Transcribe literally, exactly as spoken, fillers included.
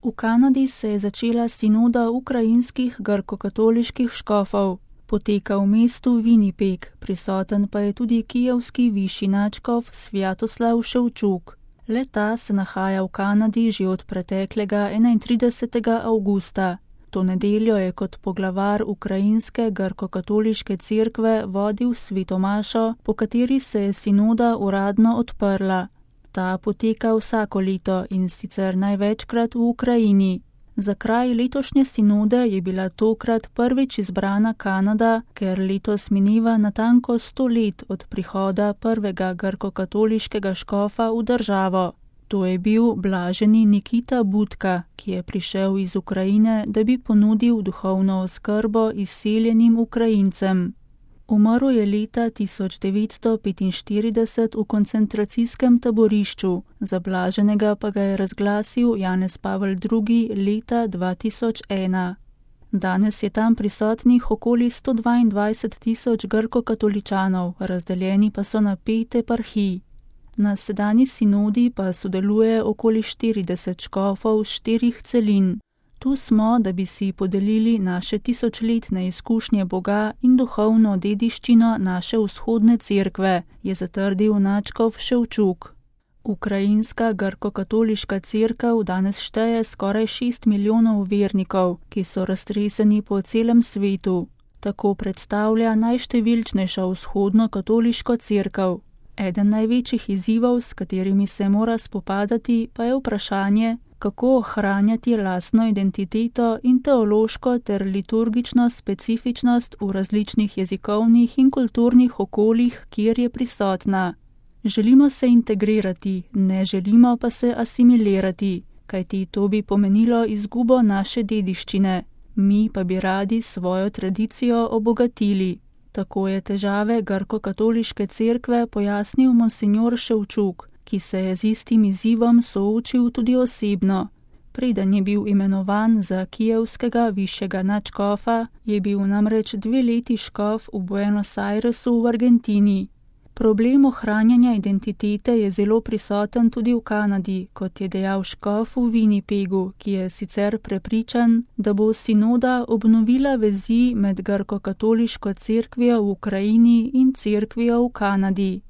V Kanadi se je začela sinoda ukrajinskih grkokatoliških škofov. Poteka v mestu Winnipeg, prisoten pa je tudi kijevski višji nadškof Svjatoslav Ševčuk. Le-ta se nahaja v Kanadi že od preteklega enaintridesetega avgusta. To nedeljo je kot poglavar ukrajinske grkokatoliške cerkve vodil sveto mašo, po kateri se je sinoda uradno odprla. Ta poteka vsako leto in sicer največkrat v Ukrajini. Za kraj letošnje sinode je bila tokrat prvič izbrana Kanada, ker letos mineva natanko sto let od prihoda prvega grkokatoliškega škofa v državo. To je bil blaženi Nikita Budka, ki je prišel iz Ukrajine, da bi ponudil duhovno oskrbo izseljenim Ukrajincem. Umrl je leta tisoč devetsto petinštirideset v koncentracijskem taborišču, za blaženega pa ga je razglasil Janez Pavel drugi leta dva tisoč ena. Danes je tam prisotnih okoli sto dvaindvajset tisoč grkokatoličanov, razdeljeni pa so na pet eparhij. Na sedanji sinodi pa sodeluje okoli štirideset škofov z štirih celin. Tu smo, da bi si podelili naše tisočletne izkušnje Boga in duhovno dediščino naše vzhodne cerkve, je zatrdil nadškof Ševčuk. Ukrajinska grkokatoliška cerkev danes šteje skoraj šest milijonov vernikov, ki so raztreseni po celem svetu. Tako predstavlja najštevilčnejšo vzhodno katoliško cerkev. Eden največjih izzivov, s katerimi se mora spopadati, pa je vprašanje, kako ohranjati lastno identiteto in teološko ter liturgično specifičnost v različnih jezikovnih in kulturnih okoljih, kjer je prisotna. Želimo se integrirati, ne želimo pa se asimilirati, kajti to bi pomenilo izgubo naše dediščine, mi pa bi radi svojo tradicijo obogatili. Tako je težave grkokatoliške cerkve pojasnil monsinjor Ševčuk, ki se je z istim izzivom soočil tudi osebno. Preden je bil imenovan za kijevskega višjega nadškofa, je bil namreč dve leti škof v Buenos Airesu v Argentini. Problem ohranjanja identitete je zelo prisoten tudi v Kanadi, kot je dejal škof v Winnipegu, ki je sicer prepričan, da bo sinoda obnovila vezi med grkokatoliško cerkvijo v Ukrajini in cerkvijo v Kanadi.